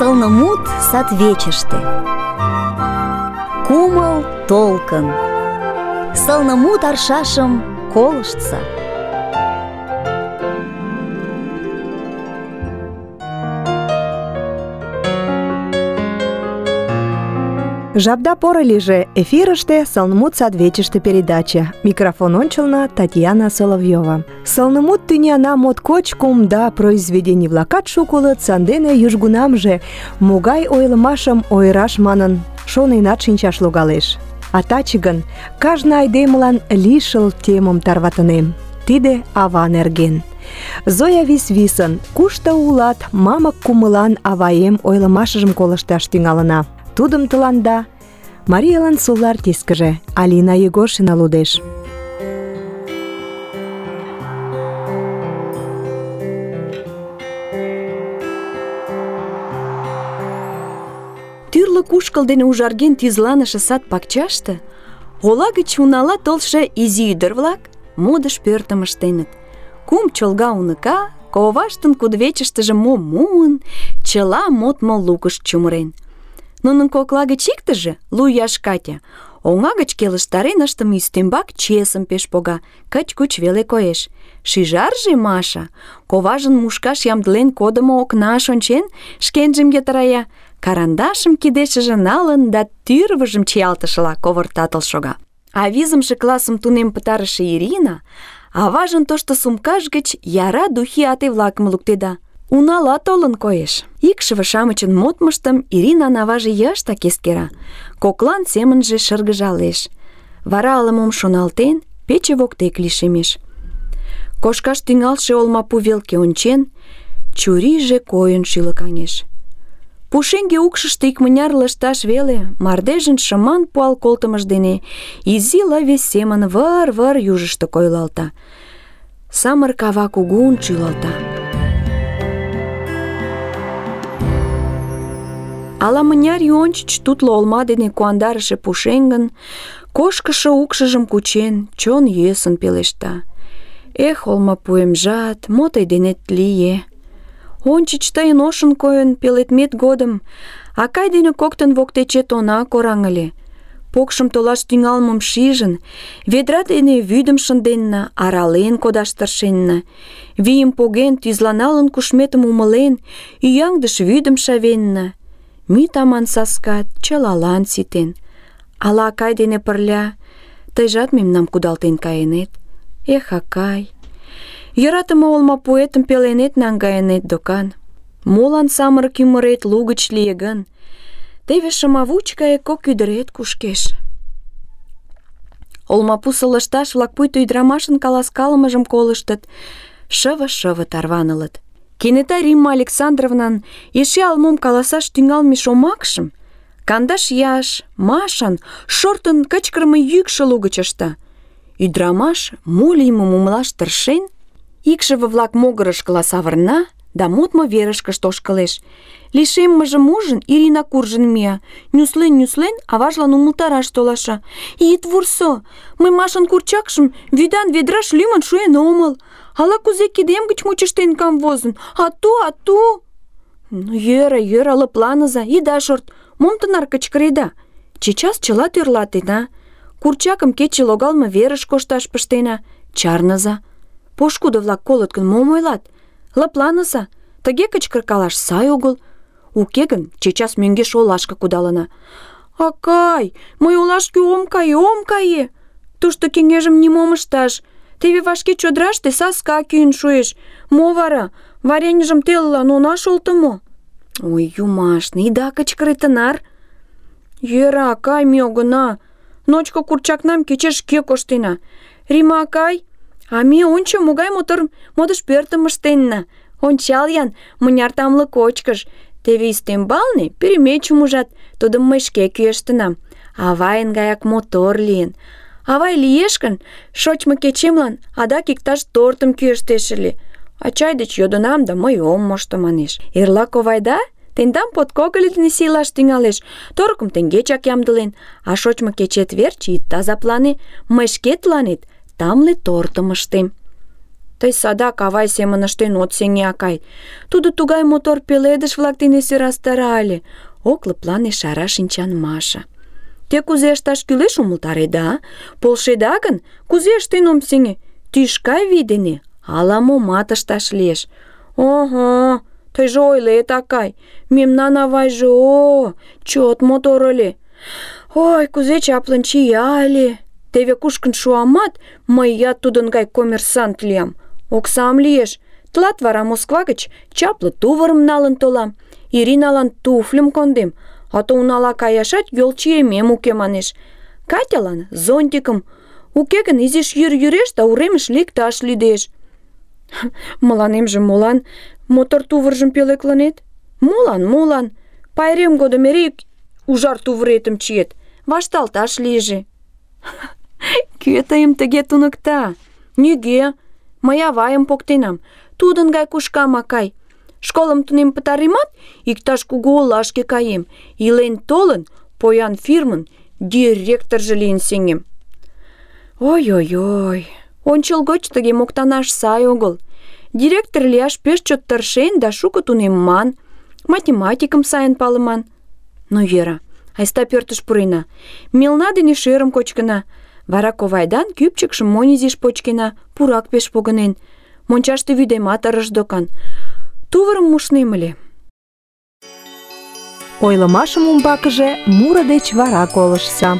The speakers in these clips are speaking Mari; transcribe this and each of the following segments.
Сылнымут садвечыште. Кумыл толкын. Сылнымут аршашым колыштса. Жапда поро лийже. Эфирыште «Сылнымут садвечыште» передача. Микрофон ончылно Татьяна Соловьева. Сылнымут тӱняна моткоч кумда, произведений-влакат шуко улыт, сандене южгунамже могай ойлымашым ойыраш манын шоненат шинчаш логалеш. А таче гын кажне айдемылан лишыл темым тарватынем. Тиде ава нерген. Зоя вис-висын «Кушто улат?» мамык кумылан аваем ойлымашыжым колышташ тӱҥалына. Тудым тыланда Мариялан сулар артисткыже Алина Егоршина лудеш. Тӱрлӧ кушкыл дене ужарген тӱзланыше сад пакчаште ола гыч унала толшо изи ӱдыр-влак модыш пӧртым ыштеныт. Кум чолга уныка коваштын кудывечыштыже мом муын, чыла модмо лукыш чумырен. Нунын кокла гыч иктыже, 2 ияш Катя, оҥа гыч келыштарен ыштыме ӱстембак чесым пеш пога, кыч-куч веле коеш. Шӱжарже, Маша, коважын мушкаш ямдылен кодымо окнаш ончен, шкенжым йытырая, карандашым кидешыже налын да тӱрвыжым чиялтышыла ковыртатыл шога. А 5-ше классым тунем пытарыше Ирина аважын тошто сумкаж гыч яра духи ате-влакым луктеда. Унала толын коеш. Икшыве-шамычын модмыштым Иринан аваже йыштак эскера, коклан семынже шыргыжалеш. Вара ала-мом шоналтен, пече воктек лишемеш. Кошкаш тӱҥалше олмапу велке ончен, чурийже койын шӱлыкаҥеш. Пушеҥге укшышто икмыняр лышташ веле мардежын шыман пуал колтымыж дене изи лыве семын выр-выр южышто койылалта. Самырык ава кугун шӱлалта. Ала-мыняр ий ончыч тутло олма дене куандарыше пушеҥгын кошкышо укшыжым кучен, чон йӧсын пелешта. Эх, олмапуэмжат, мо тый денет лие? Ончыч тыйын ошын койын пеледмет годым акай дене коктын воктечет она кораҥ ыле. Покшым толаш тӱҥалмым шижын, ведра дене вӱдым шынденна, арален кодаш тыршенна. Вийым поген, тӱзланалын кушметым умылен, ӱяҥдыш вӱдым шавенна. Мӱй таман саскат чылалан ситен. Ала акай дене пырля тыйжат мемнам кудалтен кайынет? Эх, акай, йӧратыме олмапуэтым пеленет наҥгайынет докан. Молан самырык ӱмырет лугыч лие гын? Теве шымавуч гае 2 ӱдырет кушкеш. Олмапусо лышташ-влак пуйто ӱдырамашын каласкалымыжым колыштыт, шыве-шыве тарванылыт. Кенета Римма Александровнан эше ала-мом каласаш тӱҥалме шомакшым 12 ияш Машан шортын кычкырыме йӱкшӧ лугыч ышта. Ӱдырамаш, мо лиймым умылаш тыршен, икшыве-влак могырышкыла савырна да модмо верышкышт ошкылеш. Лишеммыжым ужын, Ирина куржын мия, нюслен, аважлан умылтараш толаша. «Ит вурсо, мый Машан курчакшым вӱдан ведраш лӱмын шуэн омыл. Ала-кузе кидем гыч мучыштен камвозын. Ату!» «Ну, йӧра, лыпланыза, ида шорт. Мом тынар кычкыреда? Чечас чыла тӧрлатена. Курчакым кече логалме верыш кошташ пыштена. Чарныза. Пошкудо-влак колыт гын, мом ойлат? Лыпланыза. Тыге кычкыркалаш сай огыл. Уке гын, чечас мӧҥгеш олашке кудалына». «Акай, мый олашке ом кае. Тушто кеҥежым нимом ышташ. Теве вашке чодыраште саска кӱын шуэш. Мо вара? Вареньыжым телылан она шолто мо?» «Ой, юмашне, ида кычкыре тынар». «Йӧра, акай, ме огына. Ночко курчакнам кечеш шке коштена. Рима акай, а ме ончо могай мотор модыш пӧртым ыштенна. Ончал-ян, мыняр тамле кочкыш. Теве ӱстембалне пӱрымечым ужат, тудым мый шке кӱэштынам. Авайын гаяк мотор лийын. Авай лиеш гын, шочмо кечемлан адак иктаж тортым кӱэштеш ыле. Ачай деч йодынам да мый ом мошто, манеш. Эрла ковайда тендам подкогыль дене сийлаш тӱҥалеш. Торыкым теҥгечак ямдылен, а шочмо кечет верч ит азаплане, мый шке тыланет тамле тортым ыштем». Тый садак авай семын ыштен от сеҥе, акай. Тудо тугай мотор пеледыш-влак дене сӧрастара ыле. Ок лыплане шара шинчан Маша. Те кузе ышташ кӱлеш умылтареда? Полшеда гын, кузе ыштен ом сеҥе? Тӱшка вий дене ала-момат ышташ лиеш. Ого, тыйже ойлет, акай. Мемнан авайже чот мотор ыле. Ой, кузе чаплын чия ыле. Теве кушкын шуамат, мыят тудын гай коммерсант лиям. Оксам лиеш. Тылат вара Москва гыч чапле тувырым налын толам. Ириналан туфльым кондем, а то унала каяшат йолчиемем уке манеш. Катялан зонтикым. Уке гын изиш йӱр йӱреш да уремыш лекташ лӱдеш. Мыланемже молан мотор тувыржым пӧлеклынет? Молан? Пайрем годым эре ужар тувыретым чиет. Вашталташ лийже. Кӧ тыйым тыге туныкта? Нигӧ. Мый авайым поктенам. Тудын гай кушкам, акай. Школым тунем пытаремат, иктаж кугу олашке каем. Илен толын, поян фирмын директоржо лийын сеҥем. Ой-ой-ой, ончылгоч тыге моктанаш сай огыл. Директор лияш пеш чот тыршен да шуко тунемман, математикым сайын палыман. Ну йӧра, айста пӧртыш пурена. Мелна дене шӧрым кочкына. Вара ковайдан кӱпчыкшым монь изиш почкена, пурак пеш погынен. Мончаште вӱдемат ырыш докан. Тувырым мушнем ыле. Ойлымашым умбакыже муро деч вара колыштса.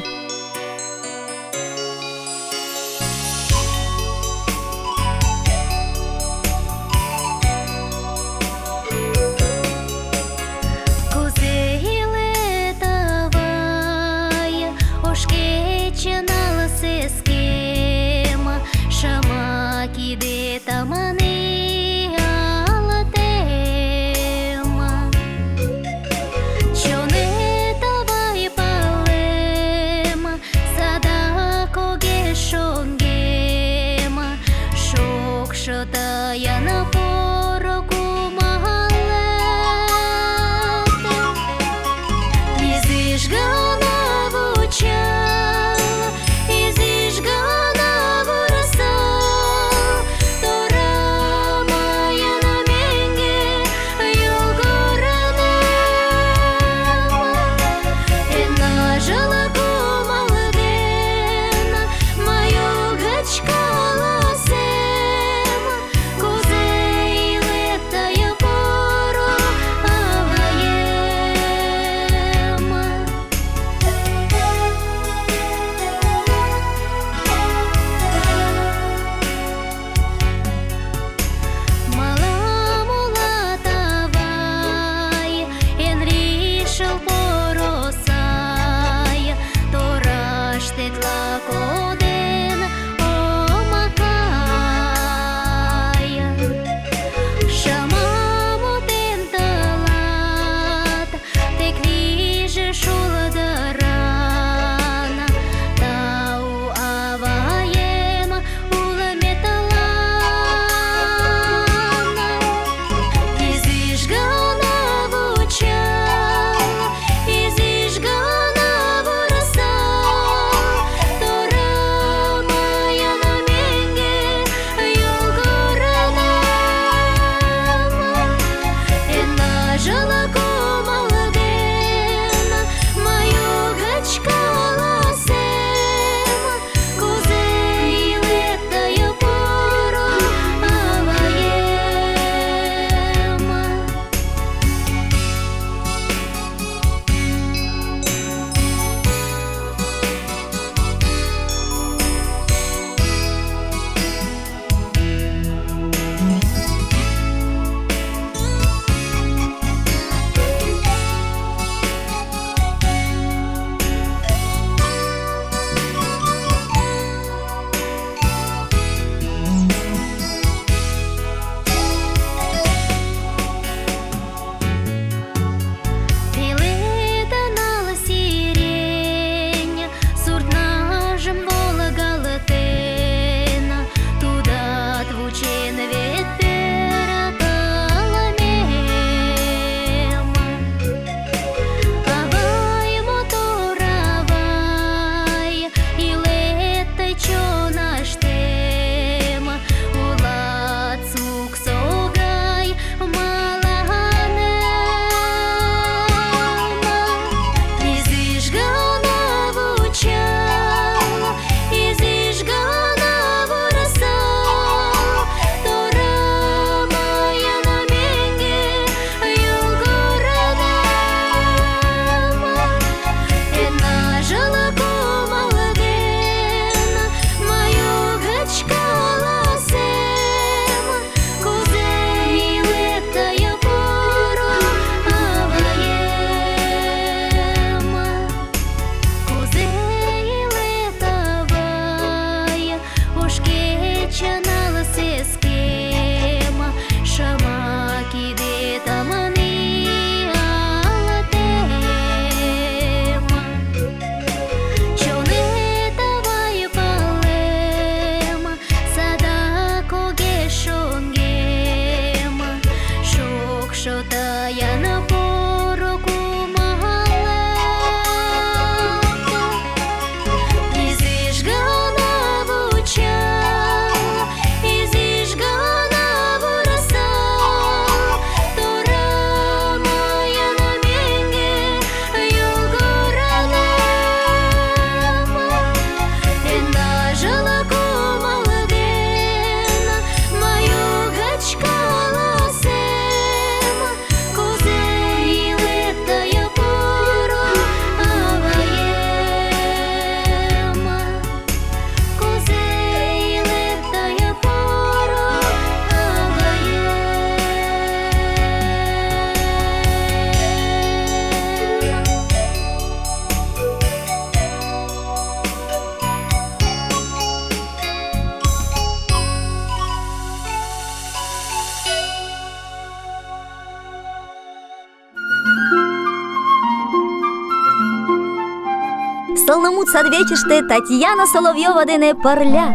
Сылнымут садвечыште Татьяна Соловьёва дене пырля.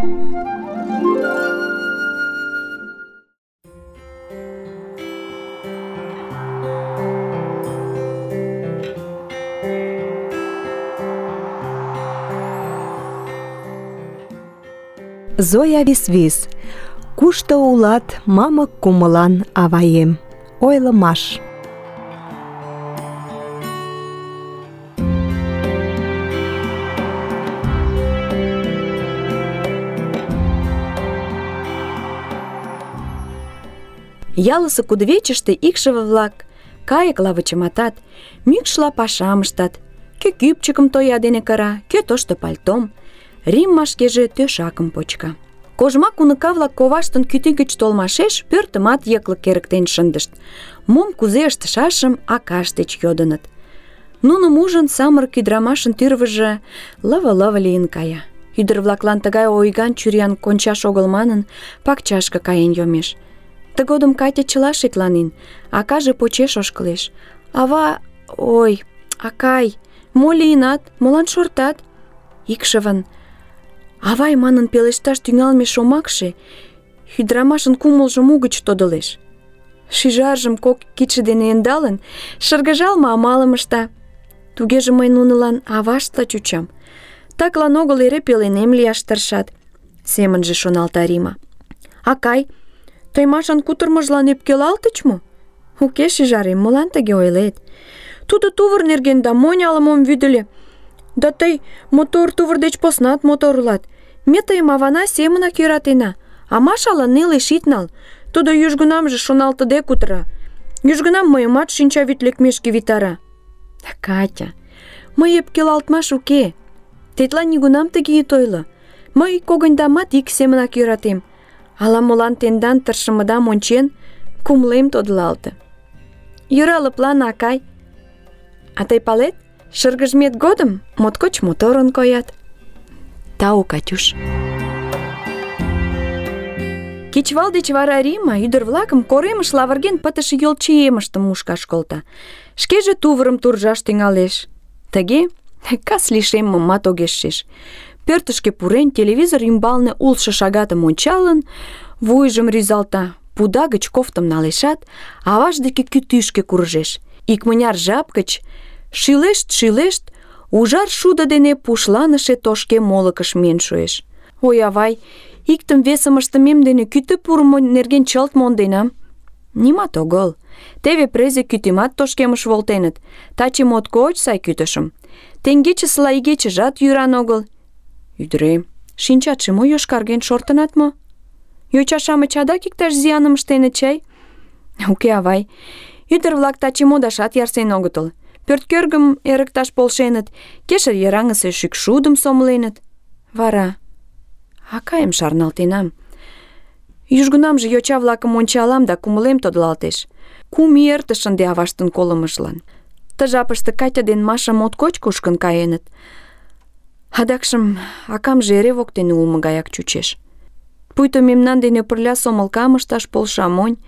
Зоя Висвис. Кушто улат, мамык кумылан аваем? Ойлымаш. Ялысе кудывечыште икшыве-влак кайыкла вычыматат, мӱкшла пашам ыштат. Кӧ кӱпчыкым тоя дене кыра, кӧ тошто пальтом. Римма шкеже тӧшакым почка. Кожмак уныка-влак коваштын кӱтӱ гыч толмашеш пӧртымат йыклык эрыктен шындышт. Мом кузе ыштышашым акашт деч йодыныт. Нуным ужын, самырык ӱдырамашын тӱрвыжӧ лыве-лыве лийын кая. Ӱдыр-влаклан тыгай ойган чуриян кончаш огыл манын, пакчашке каен йомеш. Тыгодым Катя чыла шекланен, акаже почеш ошкылеш. Ава, ой, акай, мо лийынат, молан шортат? Икшывын «авай» манын пелешташ тӱҥалме шомакше ӱдырамашын кумылжым угыч тодылеш. Шӱжаржым кок кидше дене ӧндалын, шыргыжалме амалым ышта. Тугеже мый нунылан аваштла чучам. Таклан огыл эре пеленем лияш тыршат, семынже шоналта Рима. Акай, тый Машан кутырымыжлан ӧпкелалтыч мо? Уке, шӱжарем, молан тыге ойлет? Тудо тувыр нерген да монь ала-мом вӱдыльӧ. Да тый мотор тувыр деч поснат мотор улат. Ме тыйым авана семынак йӧратена, а Машалан нелеш ит нал. Тудо южгунамже шоналтыде кутыра. Южгунам мыйымат шинчавӱд лекмешке витара. Катя, мый ӧпкелалтмаш уке. Тетла нигунам тыге ит ойло. Мый когыньдамат ик семынак йӧратем. Ала-молан тендан тыршымыдам ончен, кумылем тодылалте. Йӧра, лыплане, акай. А тый палет, шыргыжмет годым моткоч моторын коят. Тау, Катюш. Кечывал деч вара Рима ӱдыр-влакым коремыш лавырген пытыше йолчиемыштым мушкаш колта. Шкеже тувырым туржаш тӱҥалеш. Тыге кас лишеммымат огеш шиж. Пӧртышкӧ пурен, телевизор ӱмбалне улшо шагатым ончалын, вуйжым рӱзалта, пуда гыч кофтым налешат, аваж деке кӱтӱшкӧ куржеш. Икмыняр жап гыч шӱлешт-шӱлешт, ужар шудо дене пушланыше тошке молыкыш миен шуэш. Ой, авай, иктым-весым ыштымем дене кӱтӱ пурымо нерген чылт монденам. Нимат огыл. Теве презе кӱтӱмат тошкемыш волтеныт. Таче моткоч сай кӱтышым. Теҥгечысыла игечыжат йӱран огыл. Ӱдырем, шинчатше мо йошкарген, шортынат мо? Йоча-шамыч адак иктаж зияным ыштеныт чай? Уке, авай. Ӱдыр-влак таче модашат ярсен огытыл. Пӧрткӧргым эрыкташ полшеныт, кешыр йыраҥысе шӱкшудым сомыленыт. Вара акайым шарналтенам. Южгунамже йоча-влакым ончалам да кумылем тодылалтеш. 3 ий эртыш ынде аваштын колымыжлан. Ты жапыште Катя ден Маша моткоч кушкын каеныт. Адакшым акамже эре воктене улмо гаяк чучеш. Пуйто мемнан дене пырля сомылкам ышташ полша монь.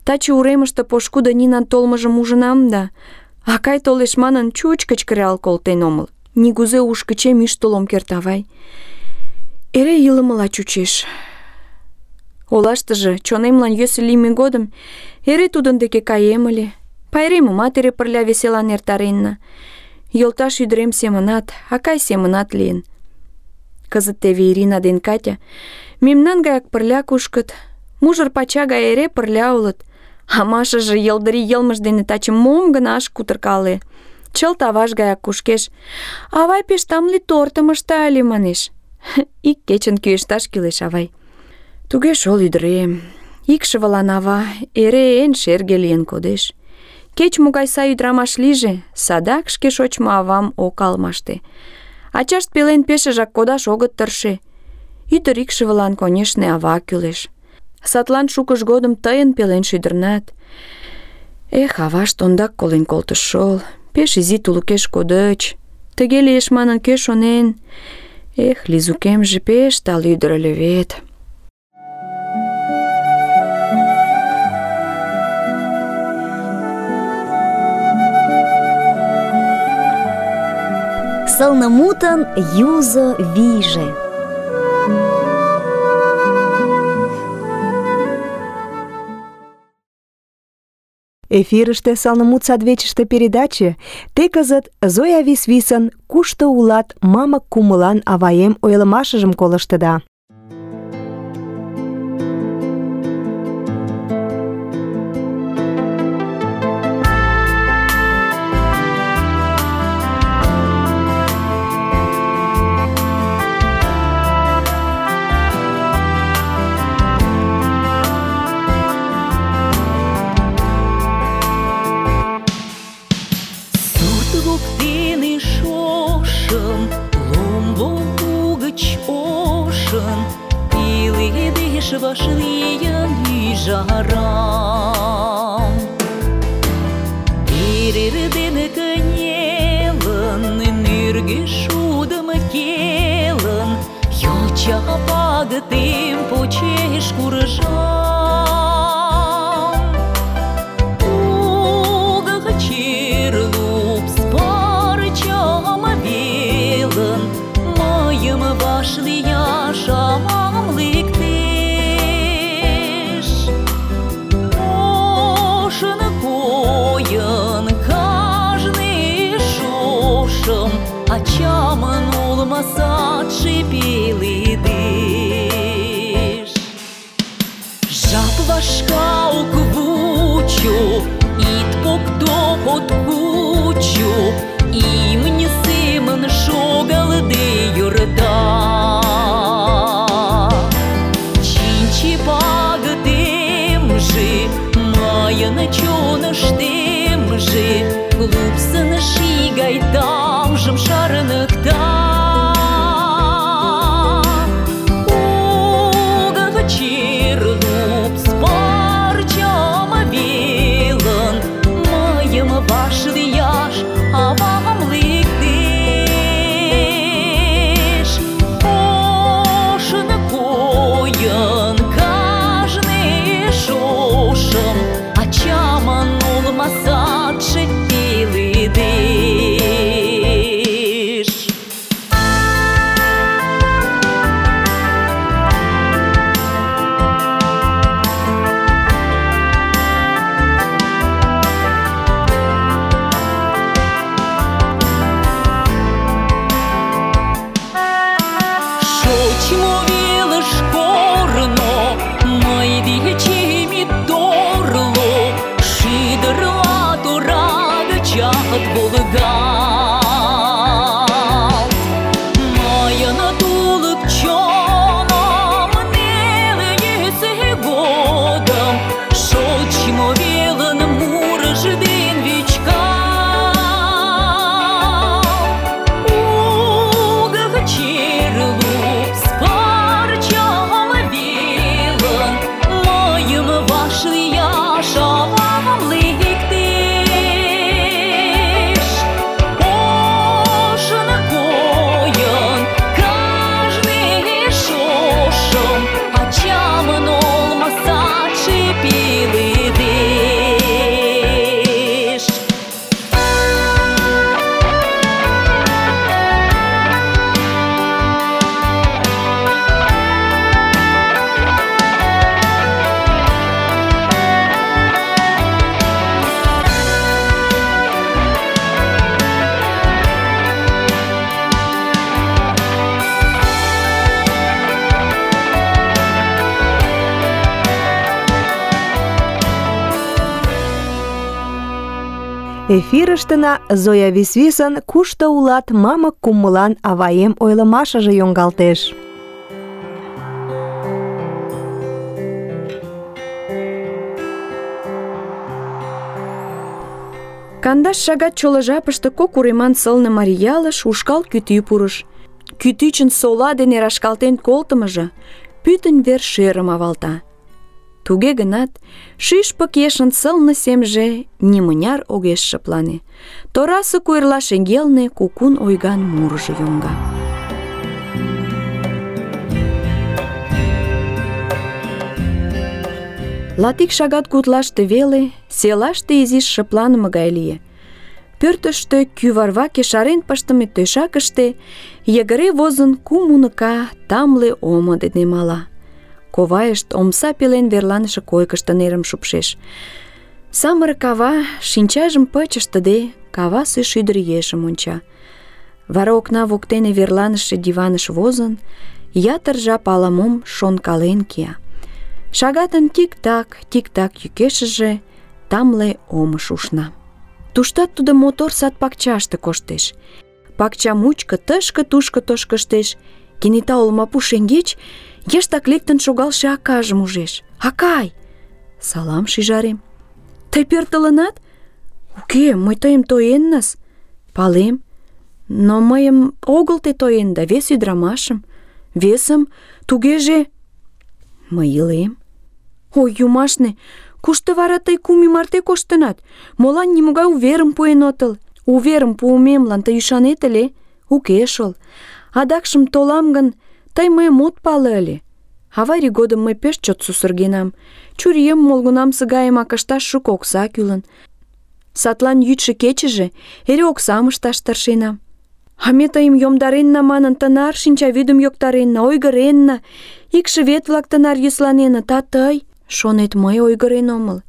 Таче уремыште пошкудо Нинан толмыжым ужынам да, акай толеш манын, чуч кычкырал колтен омыл. Нигузе уш гычем ӱштыл ом керт, авай. Эре илымыла чучеш. Олаштыже чонемлан йӧсӧ лийме годым эре тудын деке каем ыле. Пайремымат эре пырля веселан эртаренна. Йолташ ӱдырем семынат, акай семынат лийын. Кызыт теве Ирина ден Катя мемнан гаяк пырля кушкыт, мужыр пача гай эре пырля улыт. А Машаже йылдыри йылмыж дене таче мом гына ыш кутыркале. Чылт аваж гаяк кушкеш. Авай пеш тамле тортым ышта ыле, манеш. Ик кечын кӱэшташ кӱлеш, авай. Туге шол, ӱдырем. Икшывылан ава эре эн шерге лийын кодеш. Кеч-могай сай ӱдырамаш лийже, садак шке шочмо авам ок алмаште. Ачашт пелен пешыжак кодаш огыт тырше. Ӱдыр икшывылан, конешне, ава кӱлеш. Садлан шукыж годым тыйын пелен шӱдырнат. Эх, авашт ондак колен колтыш шол. Пеш изи тулыкеш кодыч. Тыге лиеш манын, кӧ шонен? Эх, Лизукемже пеш тале ӱдыр ыле вет. сылнымутын юзо вийже. Эфирыште «Сылнымут садвечыште» передаче те кызыт Зоя Висвисын «Кушто улат, мамык кумылан аваем» ойлымашыжым колыштыда. Вашлия жарам Ирирден кынелын Нырге шудым келын Йоча пагытем почеш куржам Угы черлуп спарчам велын Мыйым вашлия шамам лыкты Ачамын улмасатшы пеледеш Жап вашка уквучу Ит поктопот кучу Имни семын шогалды юрда Чинчи пагытемжи Майын чоныштемжи Лупсын шигай тамжым шарныкта Угы черлуп спарчам велын Мыйым вашлияш авам лектеш Ошын койын кажне шошым Ачамын улмасатшы пеледеш Шочмо велыш корно, мый дечеми торло, шидырла тора гычат волгалт. Мыйын тулык чоным нелыйсе годым, шочмо велын мурыш ден вичкалт. Угы черлуп спарчам велын, мыйым вашлияш авам лектеш. Ошын койын кажне шошым, ачамын олмасатшы пеледеш. Эфирыштына Зоя Висвисын «Кушто улат, мамык кумылан аваем» ойлымашыже йоҥгалтеш. Кандаш шагат чоло жапыште кок уреман сылне марий ялыш ушкал кӱтӱ пурыш. Кӱтӱчын сола дене рашкалтен колтымыжо пӱтынь вер шӧрым авалта. Туге гынат, шӱшпык ешын сылне семже нимыняр огеш шыплане. Торасе куэрла шеҥгелне кукун ойган мурыжо йоҥга. Латик шагат гутлаште веле селаште изиш шыпланыме гай лие. Пӧртыштӧ кӱварваке шарен пыштыме тӧшакыште йыгыре возын 3 уныка тамле омо дене мала. Ковайышт омса пелен верланыше койкышто нерым шупшеш. Самырык ава шинчажым пыч ыштыде кавасе шӱдыр ешым онча. Вара окна воктене верланыше диваныш возын, ятыр жап ала-мом шонкален кия. Шагатын тик-так йӱкешыже тамле омыш ушна. Туштат тудо мотор сад-пакчаште коштеш. Пакча мучко тышке-тушко тошкыштеш. Кенета олмапу шеҥгеч йыштак лектын шогалше акажым ужеш. «Акай!» «Салам, шӱжарем!» «Тый пӧртылынат?» «Уке, мый тыйым тоеннас». «Палем, но мыйым огыл те тоенда, вес ӱдырамашым». «Весым? Тугеже...» «Мый илем». «Ой, юмашне, кушто вара тый 3 ий марте коштынат? Молан нимогай уверым пуэн отыл? Уверым пуымемлан тый ӱшанет ыле? Уке шол. Адакшым толам гын, тый мыйым от пале ыле. Аварий годым мый пеш чот сусыргенам. Чурием молгунамсе гайымак ышташ шуко окса кӱлын. Садлан йӱдшӧ-кечыже эре оксам ышташ тыршенам. А ме тыйым йомдаренна манын тынар шинчавӱдым йоктаренна, ойгыренна, икшывет-влак тынар йӧсланеныт, а тый, шонет, мый ойгырен омыл.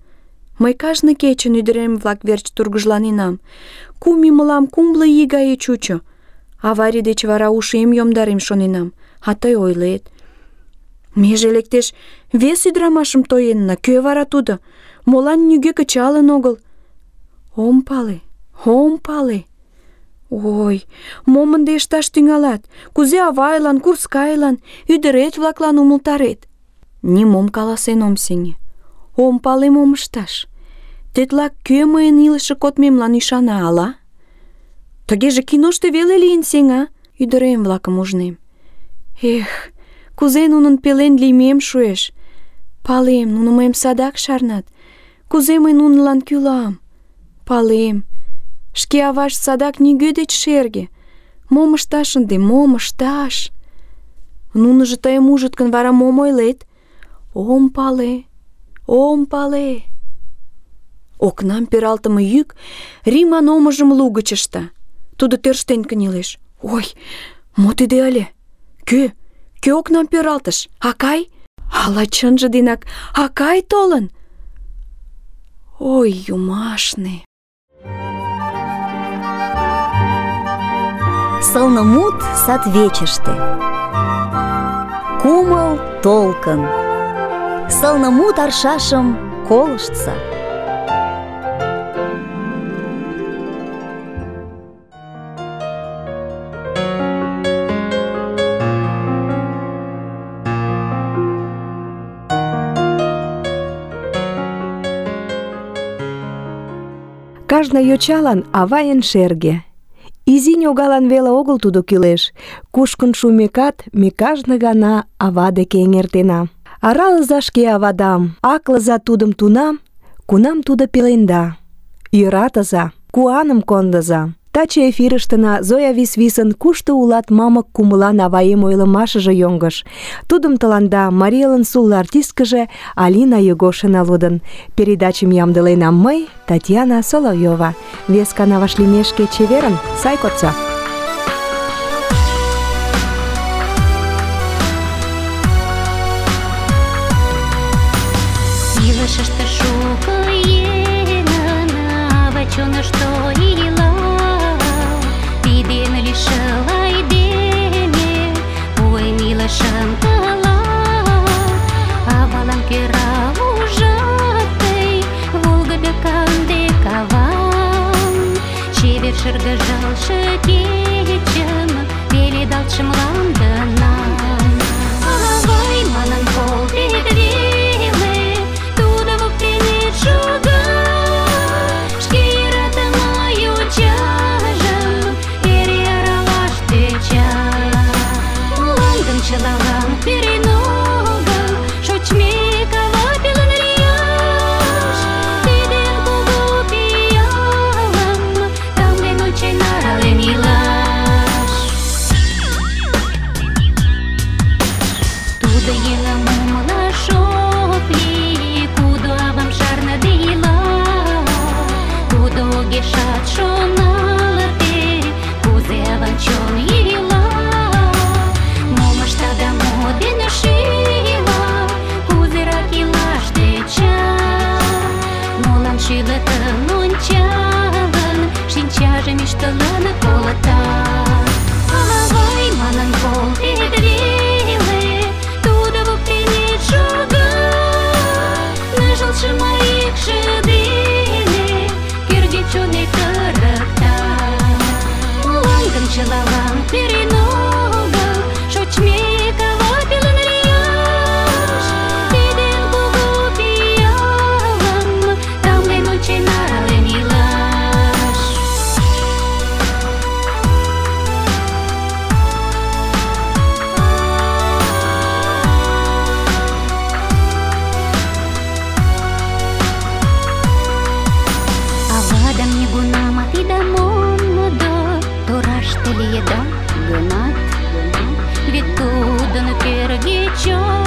Мый кажне кечын ӱдырем-влак верч тургыжланенам. 3 ий мылам кумло ий гае чучо. Аварий деч вара ушем йомдарем шоненам, а тый ойлет. Меже лектеш, вес ӱдырамашым тоенна, кӧ вара тудо? Молан нигӧ кычалын огыл? Ом пале. Ой, мом ынде ышташ тӱҥалат? Кузе авайлан, курскайлан, ӱдырет-влаклан умылтарет? Нимом каласен ом сеҥе. Ом пале, мом ышташ. Тетла кӧ мыйын илыше кодмемлан ӱшана, ала? Тыгеже киношто веле лийын сеҥа? Ӱдырем-влакым ужнем. Эх, кузе нунын пелен лиймем шуэш. Палем, нуно мыйым садак шарнат. Кузе мый нунылан кӱлам? Палем. Шке авашт садак нигӧ деч шерге. Мом ышташ ынде, мом ышташ? Нуныжо тыйым ужыт гын, вара мом ойлет? Ом пале. Окнам пералтыме йӱк Риман омыжым лугыч ышта. Тудо тӧрштен кынелеш. Ой, мо тиде ыле? Кӧ окнам пералтыш? Акай? Ала чынже денак Акай толын? Ой, юмашне. Сылнымут садвечыште. Кумыл толкын. Сылнымут аршашым колыштса. Кажне йочалан авайын шерге. Изи ньогалан веле огыл тудо кӱлеш. Кушкын шумекат, ме кажне гана ава деке эҥертена. Аралыза шке авадам, аклыза тудым тунам, кунам тудо пеленда. Йӧратыза, куаным кондыза. Таче эфирыштына Зоя Висвисын «Кушто улат, мамык кумылан аваем» ойлымашыже йоҥгыш. Тудым тыланда Мариэлын сулло артисткыже Алина Егошина лудын. Передачым ямдыленам мый, Татьяна Соловьёва. Вес гана вашлиймешке чеверын, сай кодса. Илышыште шуко еҥын ава чонышто ила, тиден лишыл айдеме ойым илышым тыла. Авалан кӧра ужат тый волгыдо канде кавам, чевер шыргыжалше кечым пеледалтше мландынам. Авай манын колтет веле, тудо воктенет шога, шке йӧратыме йочажым эре аралаш тӧча. Мландым чылалан пӱрен огыл, шочмек ава пелен лияш. Тидын кугу пиалым тамлен ончен, арален илаш. еда гынат, вет тудын кӧргӧ чон